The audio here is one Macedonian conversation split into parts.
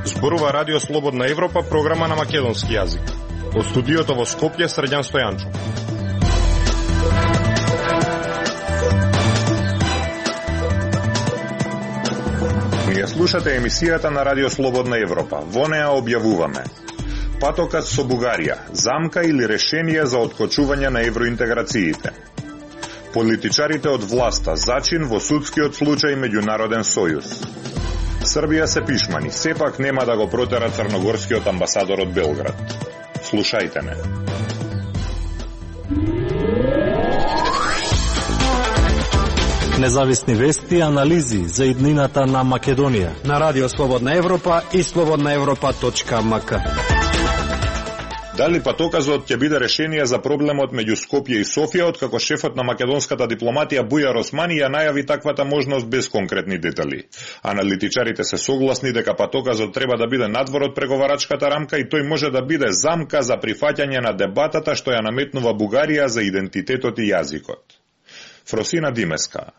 Зборува Радио Слободна Европа, програма на македонски јазик. Од студиото во Скопје, Срđan Стојанчов. Ние слушате емисијата на Радио Слободна Европа. Во неа објавуваме: патокат со Бугарија, замка или решение за откочување на евроинтеграциите. Политичарите од власта зачин во судскиот случај Меѓународен сојуз. Србија се пишмани, сепак нема да го протера црногорскиот амбасадор од Белград. Слушајте ме. Независни вести и анализи за иднината на Македонија на Радио Слободна Европа и slobodnaevropa.mk. Дали патоказот ќе биде решение за проблемот меѓу Скопје и Софија, откако шефот на македонската дипломатија Бујар Османи ја најави таквата можност без конкретни детали. Аналитичарите се согласни дека патоказот треба да биде надвор од преговарачката рамка и тој може да биде замка за прифаќање на дебатата што ја наметнува Бугарија за идентитетот и јазикот. Фросина Димеска.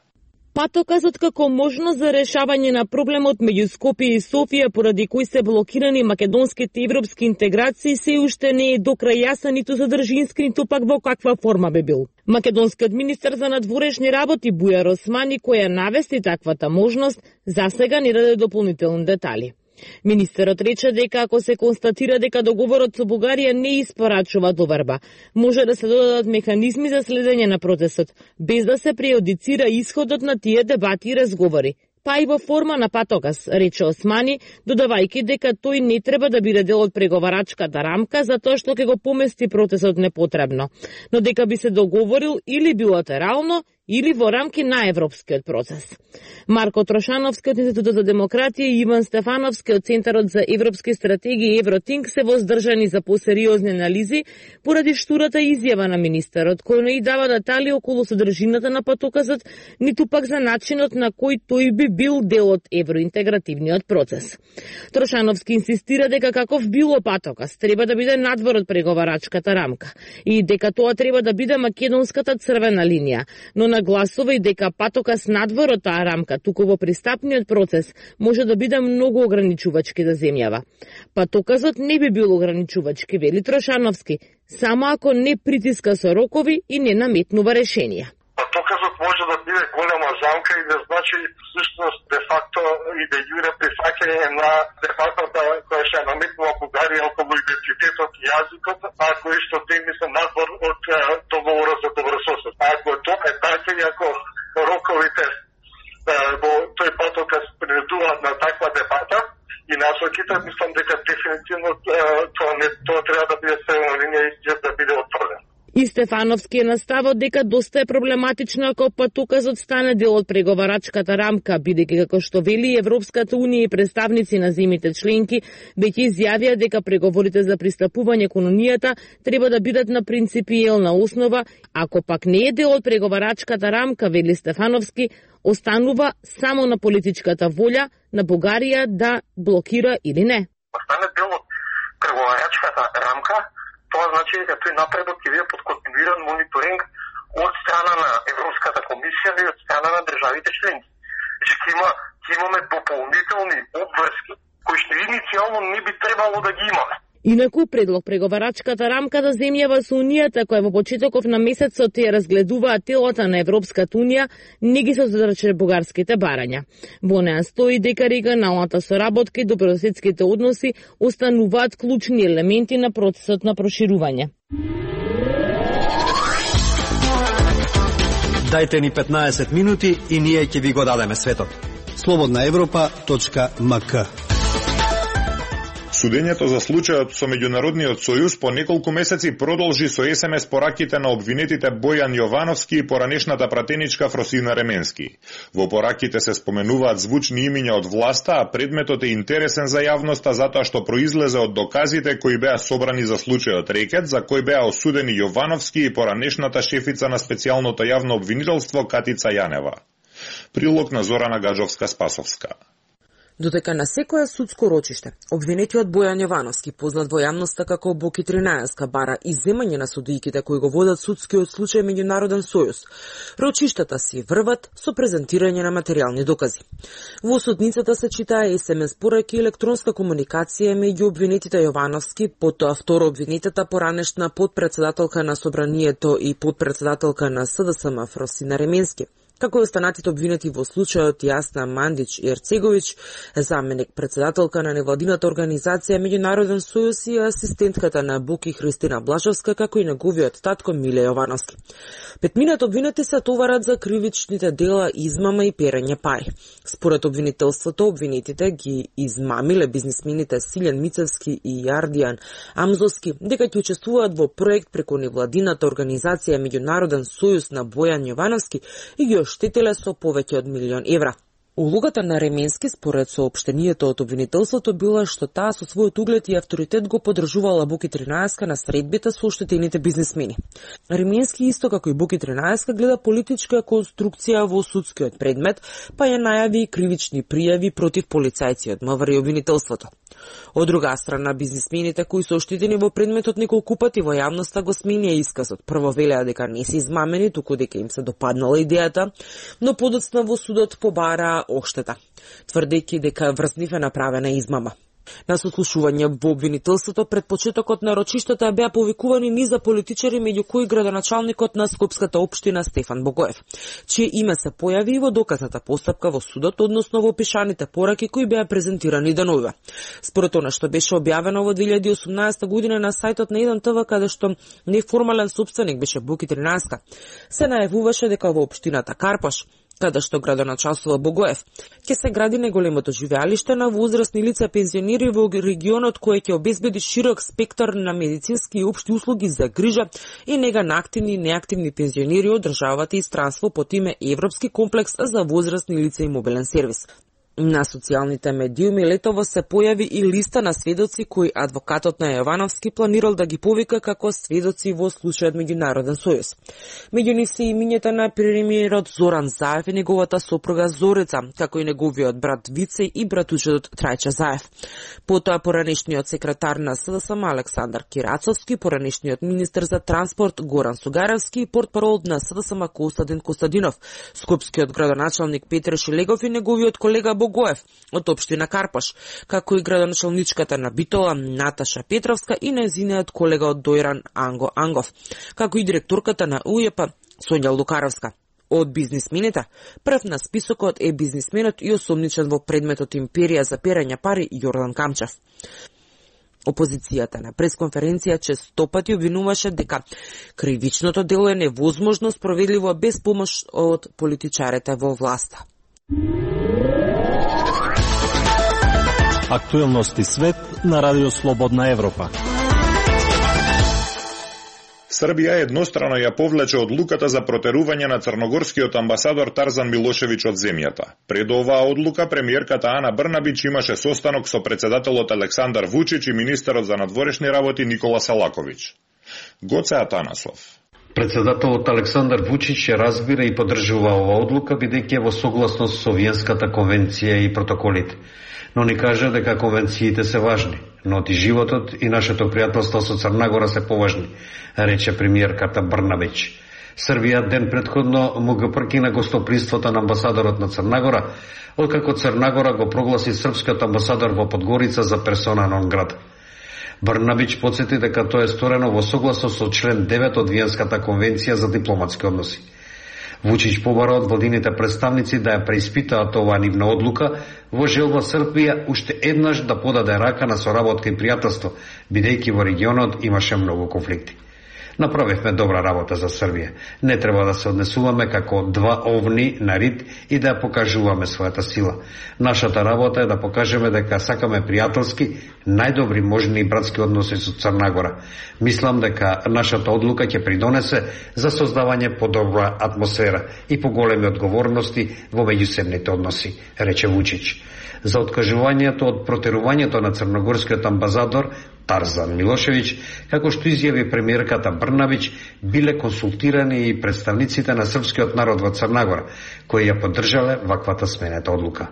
Патоказот како можност за решавање на проблемот меѓу Скопје и Софија, поради кој се блокирани македонските европски интеграции, се уште не е до крај јасен ниту задржински, ниту пак во каква форма би бил. Македонскиот министер за надворешни работи Бујар Османи, која навести таквата можност, засега не даде дополнителни детали. Министерот рече дека ако се констатира дека договорот со Бугарија не испорачува доверба, може да се додадат механизми за следење на процесот, без да се преодицира исходот на тие дебати и разговори, па и во форма на патоказ, рече Османи, додавајќи дека тој не треба да биде дел од преговарачката рамка, затоа што ќе го помести процесот непотребно, но дека би се договорил или билатерално, или во рамки на европскиот процес. Марко Трошановски од Институтот за демократија и Иван Стефановски од Центарот за европски стратегии Евротинк се воздржани за посериозни анализи поради штурата изјава на министерот, кој не и дава детали околу содржината на патоказот, ниту пак за начинот на кој тој би бил дел од евроинтегративниот процес. Трошановски инсистира дека каков било патоказ треба да биде надвор од преговарачката рамка и дека тоа треба да биде македонската црвена линија, но нагласува и дека патоказ надвор од таа рамка, туку во пристапниот процес, може да биде многу ограничувачки за земјава. Патоказот не би бил ограничувачки, вели Трошановски, само ако не притиска со рокови и не наметнува решенија. Патоказот може да биде голема замка и да значи всушност де факто и де јуре прифаќање на де факто која ќе наметнува Бугарија околу идентитетот и јазикот, а кои што теми се надвор од договорот за добрососед. Ако тоа е така и ако роковите во тој патоказ принудуваат на таква дебата и насоките, мислам дека дефинитивно тоа треба да биде црвена линија и да биде отворен. И Стефановски е наставот дека доста е проблематично ако патоказот стане дел од преговарачката рамка, бидејќи како што вели Европската унија и представници на земјите членки веќе изјавија дека преговорите за пристапување кон унијата треба да бидат на принципиелна основа, ако пак не е дел од преговарачката рамка, вели Стефановски, останува само на политичката волја на Бугарија да блокира или не. Стане дел од преговарачката рамка, тоа значи дека тој напредок ќе биде под континуиран мониторинг од страна на Европската комисија и од страна на државите членки. Ќе имаме дополнителни обврски кои што иницијално не би требало да ги имаме. Инаку, предлог преговарачката рамка за земјава со Унијата, која во почетоков на месецот ја разгледуваат телата на Европската Унија, не ги содржи бугарските барања. Во неа стои дека регионалната соработка и добрососедските односи остануваат клучни елементи на процесот на проширување. Дајте ни 15 минути и ние ќе ви го дадеме светот. slobodnaevropa.mk. Судењето за случајот со Меѓународниот сојуз по неколку месеци продолжи со СМС пораките на обвинетите Бојан Јовановски и поранешната пратеничка Фросина Ременски. Во пораките се споменуваат звучни имиња од власта, а предметот е интересен за јавноста затоа што произлезе од доказите кои беа собрани за случајот Рекет, за кој беа осудени Јовановски и поранешната шефица на специјалното јавно обвинителство Катица Јанева. Прилог на Зорана Гаджовска-Спасовска. Додека на секое судско рочиште, обвинетиот Бојан Јовановски, познат во јавноста како Боки 13, бара изземање на судијките кои го водат судскиот случај Меѓународен сојуз, рочиштата си врват со презентирање на материјални докази. Во судницата се читаа SMS пораки и електронска комуникација меѓу обвинетите Јовановски, потоа второ обвинетата поранешна подпредседателка на Собранието и подпредседателка на СДСМ Фросина Ременски, како и останатите обвинети во случајот Јасна Мандич Ерцеговиќ, заменик председателка на невладината организација Меѓународен сојуз и асистентката на Боки Христина Блажовска, како и неговиот татко Миле Јовановски. Петмината обвинети се товарат за кривичните дела измама и перење пари. Според обвинителството, обвинетите ги измамиле бизнисмените Силјан Мицевски и Јардијан Амзовски дека ќе учествуваат во проект преку невладината организација Меѓународен сојуз на Бојан Јовановски и ги оштетиле со повеќе од 1.000.000 евра. Улогата на Ременски според соопштението од обвинителството била што таа со својот углед и авторитет го поддржувала Боки 13 на средбите со оштетените бизнисмени. Ременски исто како и Боки 13 гледа политичка конструкција во судскиот предмет, па ја најави и кривични пријави против полицајци од МВР и обвинителството. Од друга страна, бизнисмените кои се оштетени во предметот неколку пати во јавноста го сменија исказот. Прво велеа дека не се измамени, туку дека им се допаднала идејата, но подоцна во судот побараа оштета, тврдејќи дека врз нив е направена измама. На сослушување во обвинителството пред почетокот на рочиштата беа повикувани низа политичари, меѓу кои градоначалникот на Скопската општина Стефан Богоев, чие име се појави и во доказната постапка во судот, односно во пишаните пораки кои беа презентирани денова. Според она што беше објавено во 2018 година на сајтот на 1 ТВ, каде што неформален сопственик беше Боки 13, се најавуваше дека во општината Карпаш, каде што градоначалствува Богоев, ќе се гради неголемото живеалиште на возрастни лица пензионери во регионот кој ќе обезбеди широк спектар на медицински и општи услуги за грижа и нега на активни и неактивни пензионери од државата и странство под име Европски комплекс за возрастни лица и мобилен сервис. На социјалните медиуми летово се појави и листа на сведоци кои адвокатот на Јовановски планирал да ги повика како сведоци во случајот Меѓународен сојуз. Меѓу нив се имињата на премиерот Зоран Заев и неговата сопруга Зорица, како и неговиот брат Вице и братучедот Трајче Заев. Потоа поранешниот секретар на СДСМ Александар Кирацовски, поранешниот министер за транспорт Горан Сугаревски и портпарол на СДСМ Костадин Костадинов, скопскиот градоначалник Петре Шилегов и неговиот колега Богоев од општина Карпаш, како и градоначалничката на Битола Наташа Петровска и нејзиниот колега од Дојран Анго Ангов, како и директорката на УЈП Сонја Лукаровска. Од бизнисмените, прв на списокот е бизнисменот и осомничен во предметот империја за перење пари Јордан Камчев. Опозицијата на пресконференција честопати обвинуваше дека кривичното дело е невозможно справедливо без помош од политичарите во власта. Актуелности свет на Радио Слободна Европа. Србија еднострано ја повлече одлуката за протерување на црногорскиот амбасадор Тарзан Милошевиќ од земјата. Пред оваа одлука, премиерката Ана Брнабич имаше состанок со председателот Александар Вучич и министерот за надворешни работи Никола Селаковиќ. Гоце Атанасов. Председателот Александар Вучич ја разбира и поддржува оваа одлука, бидејќи е во согласност со Виенската конвенција и протоколите. Но ни кажа дека конвенциите се важни, но и животот и нашето пријателство со Црна Гора се поважни, рече премиерката Брнабич. Србија ден предходно му го прекина гостопримството на амбасадорот на Црна Гора, откако Црна Гора го прогласи српскиот амбасадор во Подгорица за персона нон грата. Брнабич подсети дека тоа е сторено во согласност со член 9 од Виенската конвенција за дипломатски односи. Вучич побара од владините представници да ја преиспитаат оваа нивна одлука во желба Србија уште еднаш да подаде рака на соработка и пријателство, бидејќи во регионот имаше многу конфликти. Направивме добра работа за Србија. Не треба да се однесуваме како два овни на рид и да ја покажуваме својата сила. Нашата работа е да покажеме дека сакаме пријателски, најдобри можни и братски односи со Црна Гора. Мислам дека нашата одлука ќе придонесе за создавање подобра атмосфера и поголеми одговорности во меѓусебните односи, рече Вучич. За откажувањето од протерувањето на црногорскиот амбасадор Тарзан Милошевиќ, како што изјави премиерката Брнабич, биле консултирани и представниците на српскиот народ во Црна Гора, кои ја поддржале ваквата сменета одлука.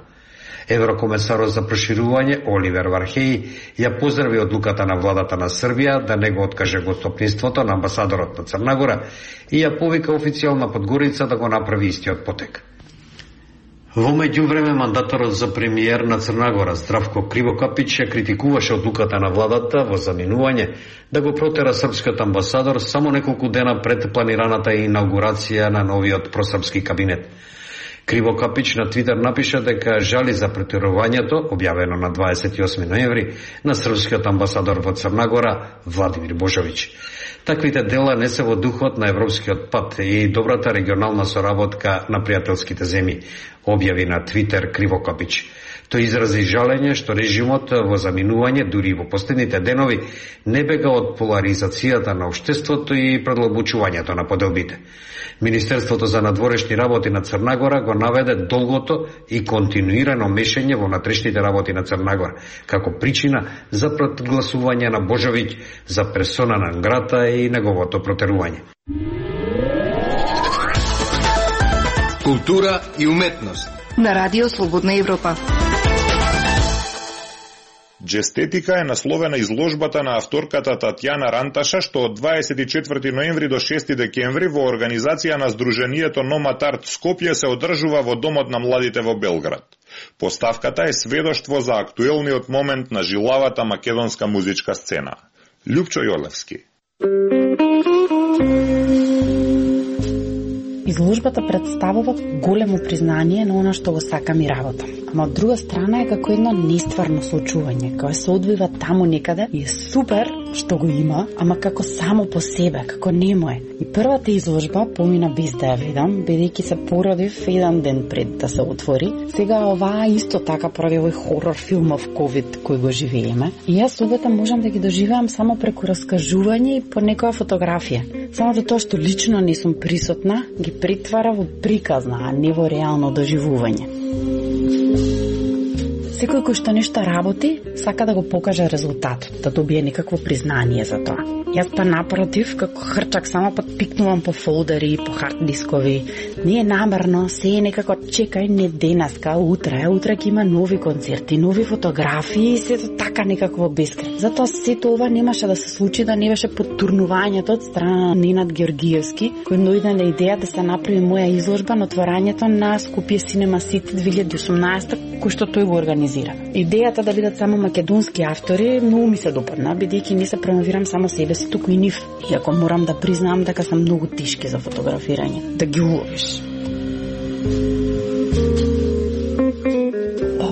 Еврокомесарот за проширување Оливер Вархеј ја поздрави одлуката на владата на Србија да не го откаже гостоприството на амбасадорот на Црна Гора и ја повика официјална Подгорица да го направи истиот потек. Во меѓувреме, мандаторот за премиер на Црна Гора Здравко Кривокапич ја критикуваше одлуката на владата во заминување да го протера српскиот амбасадор само неколку дена пред планираната инаугурација на новиот просрпски кабинет. Кривокапич на Твитер напиша дека жали за претерувањето, објавено на 28 ноември, на српскиот амбасадор во Црна Гора Владимир Божовиќ. Таквите дела не се во духот на европскиот пат и добрата регионална соработка на пријателските земји, објави на Твитер Кривокапич. Тој изрази жалење што режимот во заминување, дури во последните денови, не бега од поларизацијата на општеството и предлабочувањето на поделбите. Министерството за надворешни работи на Црна Гора го наведе долгото и континуирано мешање во внатрешните работи на Црна Гора, како причина за прогласување на Божовиќ за персона на грата и неговото протерување. Култура и уметност на Радио Слободна Европа. Джестетика е насловена изложбата на авторката Татјана Ранташа, што од 24 ноември до 6 декември во организација на Сдруженијето Номад Арт Скопје се одржува во Домот на младите во Белград. Поставката е сведоштво за актуелниот момент на жилавата македонска музичка сцена. Љупчо Јолевски. Изложбата представува големо признание на она што го сакам и работам. Ама од друга страна е како едно нестварно случување, кое се одвива таму некаде и е супер што го има, ама како само по себе, како немо е. И првата изложба помина без да ја видам, бидејќи се породив еден ден пред да се отвори. Сега оваа исто така поради овој хорор филмов COVID кој го живееме. И јас обета можам да ги доживеам само преку раскажување и по некоја фотографија. Само за тоа што лично не сум присутна, ги притвара во приказна, а не во реално доживување. Секој кој што нешто работи, сака да го покаже резултатот, да добие некакво признание за тоа. Јас па напротив, како хрчак, само пикнувам по фолдери, по хард дискови. Не е намерно, се е некако чекај, не денеска, утре ќе има нови концерти, нови фотографии и сето така некако бескрај. Затоа сето ова немаше да се случи да не беше подтурнувањето од страна на Ненад Георгиевски, кој дојде на идеја да се направи моја изложба на отворањето на Скопје Cinema City 2018, кој што тој го организира. Идејата да бидат само македонски автори многу ми се допадна, бидејќи не се промовирам само себе си, туку и нив. Иако морам да признам дека се многу тешки за фотографирање, да ги уловиш.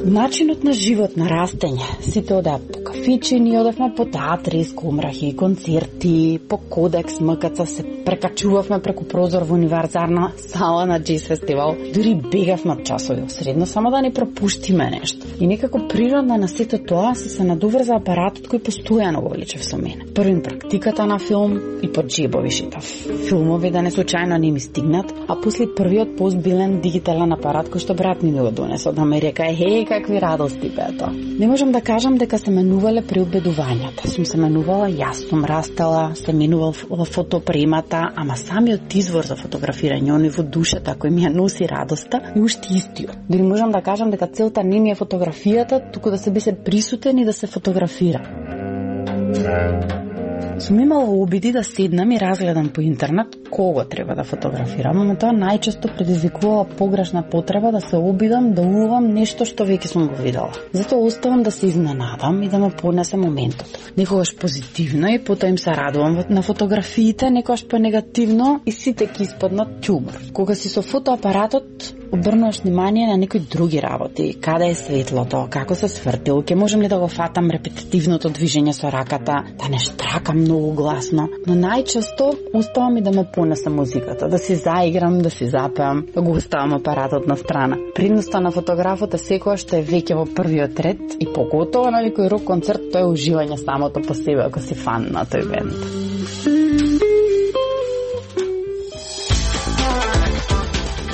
Начинот на живот, на растење, сите одеа по кафичи, ние одевме по театри, скомрахи, концерти, по Кодекс, МКЦ, се прекачувавме преку прозор во универзарна сала на Джез фестивал, дури бегавме од часови средно, само да не пропуштиме нешто. И некако природно на сето тоа се надоврза апаратот кој постојано го влечев со мене. Првим практиката на филм и по джебови шитав. Филмови да не случајно не ми стигнат, а после првиот постбилен дигитален апарат кој што брат ми го донесе, да ме река, хеј, какви радости беа тоа. Не можам да кажам дека се менувале преобедувањата. Сум се менувала, јас сум растала, се менувал во фотопремата, ама самиот извор за фотографирање, оној во душата кој ми ја носи радоста, е уште истиот. Дори можам да кажам дека целта не ми е фотографијата, туку да се биде присутен и да се фотографира. Сум имала обиди да седнам и разгледам по интернет кого треба да фотографирам, ама тоа најчесто предизвикувала погрешна потреба да се обидам да уловам нешто што веќе сум го видела. Затоа оставам да се изненадам и да ме понесе моментот. Некогаш позитивно и потоа им се радувам на фотографиите, некогаш по-негативно и сите ќе испаднат ќумор. Кога си со фотоапаратот, обрнуваш внимание на некои други работи, каде е светлото, како се свртил, ќе можам ли да го фатам репетитивното движење со раката, да не штракам многу гласно, но најчесто оставам и да ме понесе музиката, да си заиграм, да си запеам, да го оставам апаратот на страна. Предноста на фотографот е секоја што е веќе во првиот ред и поготово на некој рок концерт, тоа е уживање самото по себе ако си фан на тој бенд.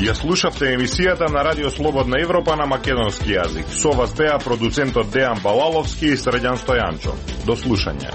Ја слушавте емисијата на Радио Слободна Европа на македонски јазик. Со вас беа продуцентот Дејан Балаловски и Срđan Стојанчо. До слушање.